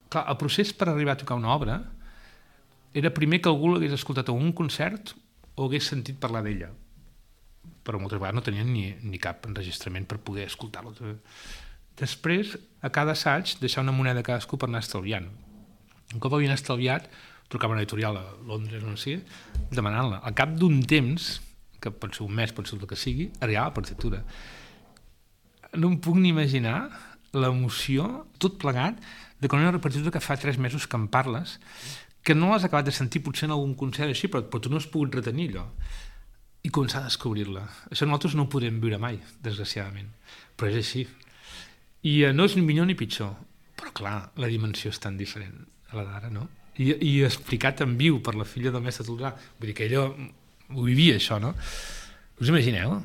Clar, el procés per arribar a tocar una obra era primer que algú l'hagués escoltat a un concert o hagués sentit parlar d'ella, però moltes vegades no tenien ni cap enregistrament per poder escoltar-lo. Després, a cada assaig, deixar una moneda a cadascú per anar estalviant. Un cop havien estalviat, trucava a una editorial a Londres o no sé, demanant-la. Al cap d'un temps, que pot ser un mes, pot ser el que sigui, arribava la partitura. No em puc ni imaginar l'emoció, tot plegat, de quan una partitura que fa 3 mesos que en parles, que no l'has acabat de sentir potser en algun concert així, però tu no has pogut retenir allò. I començar a descobrir-la. Això nosaltres no ho podem viure mai, desgraciadament. Però és així. I no és ni millor ni pitjor. Però clar, la dimensió és tan diferent a la d'ara, no? I explicat en viu per la filla del mestre Toldrà. Vull dir que ella ho vivia, això, no? Us imagineu?